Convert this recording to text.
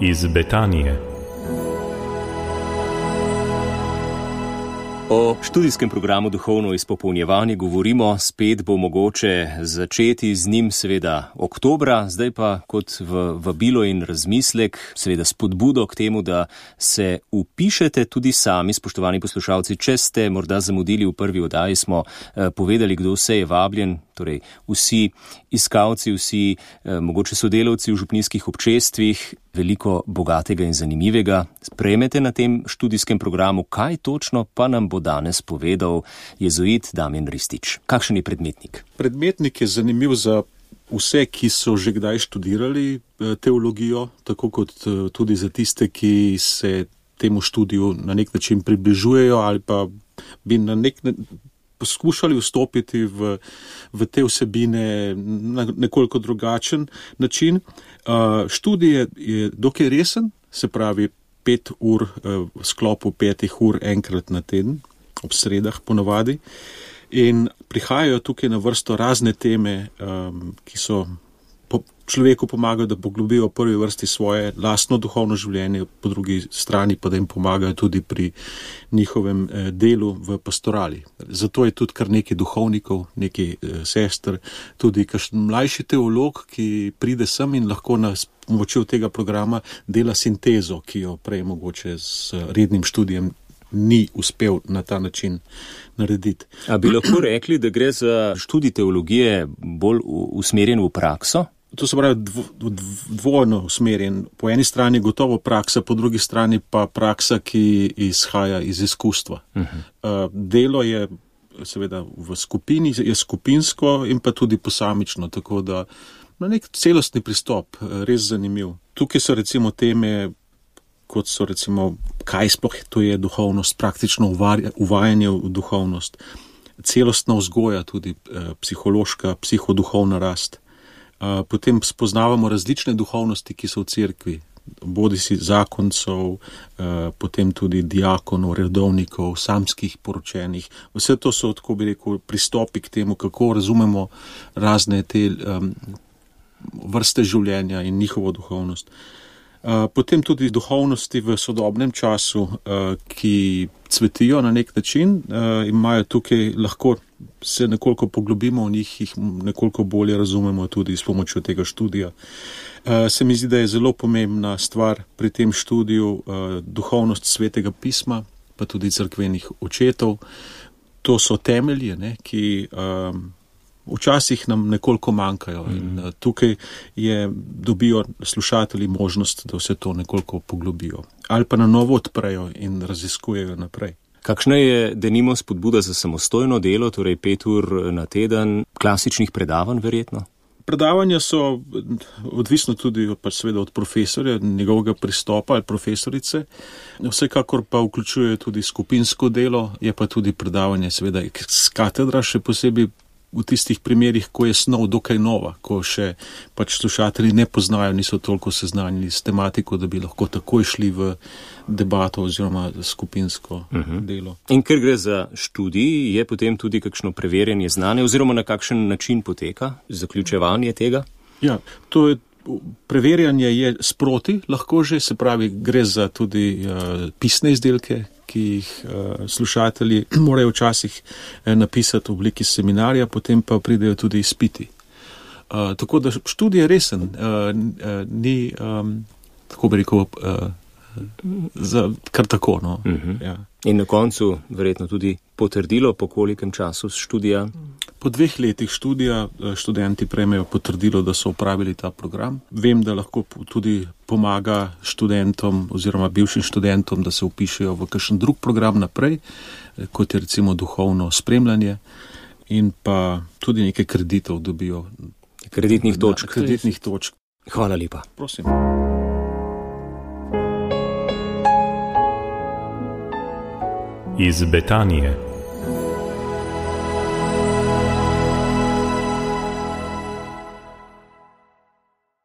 Iz Betanije. O študijskem programu Duhovno izpopolnjevanje govorimo, spet bo mogoče začeti z njim seveda oktobra, zdaj pa kot vabilo in razmislek, seveda spodbudo k temu, da se vpišete tudi sami, spoštovani poslušalci. Če ste morda zamudili v prvi oddaji, smo povedali, kdo vse je vabljen, torej vsi iskalci, vsi mogoče sodelavci v župnijskih občestvih, veliko bogatega in zanimivega sprejmete na tem študijskem programu. Kaj točno pa nam bo danes povedal jezuit Damjan Ristič? Kakšen je predmetnik? Predmetnik je zanimiv za vse, ki so že kdaj študirali teologijo, tako kot tudi za tiste, ki se temu študiju na nek način približujejo ali pa bi na nek poskušali vstopiti v te vsebine na nekoliko drugačen način. Študij je dokaj resen, se pravi 5 ur v sklopu 5 ur enkrat na teden, ob sredah ponavadi. In prihajajo tukaj na vrsto razne teme, ki so človeku pomagajo, da poglobijo v prvi vrsti svoje lastno duhovno življenje, po drugi strani pa da jim pomagajo tudi pri njihovem delu v pastorali. Zato je tudi kar nekaj duhovnikov, nekaj sester, tudi kakšen mlajši teolog, ki pride sem in lahko s pomočjo tega programa dela sintezo, ki jo prej mogoče z rednim študijem ni uspel na ta način narediti. A bi lahko rekli, da gre za študij teologije bolj usmerjen v prakso? To se pravi dvojno usmerjen. Po eni strani gotovo praksa, po drugi strani pa praksa, ki izhaja iz izkustva. Delo je seveda v skupini, je skupinsko in pa tudi posamično, tako da na nek celostni pristop, res zanimiv. Tukaj so recimo teme, kot so recimo, kaj sploh to je duhovnost, praktično uvajanje v duhovnost, celostna vzgoja, tudi psihološka, psihoduhovna rast. Potem spoznavamo različne duhovnosti, ki so v cerkvi, bodisi zakoncev, potem tudi diakonov, redovnikov, samskih poročenih. Vse to so, tako bi rekel, pristopi k temu, kako razumemo razne te vrste življenja in njihovo duhovnost. Potem tudi duhovnosti v sodobnem času, ki cvetijo na nek način, imajo tukaj, lahko se nekoliko poglobimo v njih, jih nekoliko bolje razumemo tudi s pomočjo tega študija. Se mi zdi, da je zelo pomembna stvar pri tem študiju duhovnost Svetega pisma, pa tudi cerkvenih očetov. To so temelji, ki včasih nam nekoliko manjkajo in tukaj dobijo slušatelji možnost, da vse to nekoliko poglobijo. Ali pa na novo odprejo in raziskujejo naprej. Kakšna je denimo spodbuda za samostojno delo, torej 5 ur na teden, klasičnih predavanj verjetno? Predavanja so odvisno tudi seveda od profesorja, njegovega pristopa ali profesorice. Vsekakor pa vključuje tudi skupinsko delo, je pa tudi predavanje seveda z katedra, še posebej v tistih primerih, ko je snov dokaj nova, ko še slušatelji ne poznajo, niso toliko seznanjeni s tematiko, da bi lahko takoj šli v debato oziroma skupinsko delo. In ker gre za študij, je potem tudi kakšno preverjanje znanja oziroma na kakšen način poteka zaključevanje tega? Ja, to je preverjanje je sproti, lahko že, se pravi, gre za tudi pisne izdelke, ki jih slušatelji morajo včasih napisati v obliki seminarja, potem pa pridejo tudi izpiti. Tako da študij je resen, ni, tako bi rekel, kar tako. No. Ja. In na koncu verjetno tudi potrdilo, po kolikem času študija? Po 2 letih študija študenti prejmejo potrdilo, da so opravili ta program. Vem, da lahko tudi pomaga študentom oziroma bivšim študentom, da se vpišejo v kakšen drug program naprej, kot je recimo duhovno spremljanje in pa tudi nekaj kreditov dobijo. Kreditnih točk. Kreditnih točk. Hvala lepa. Prosim. Iz Betanije.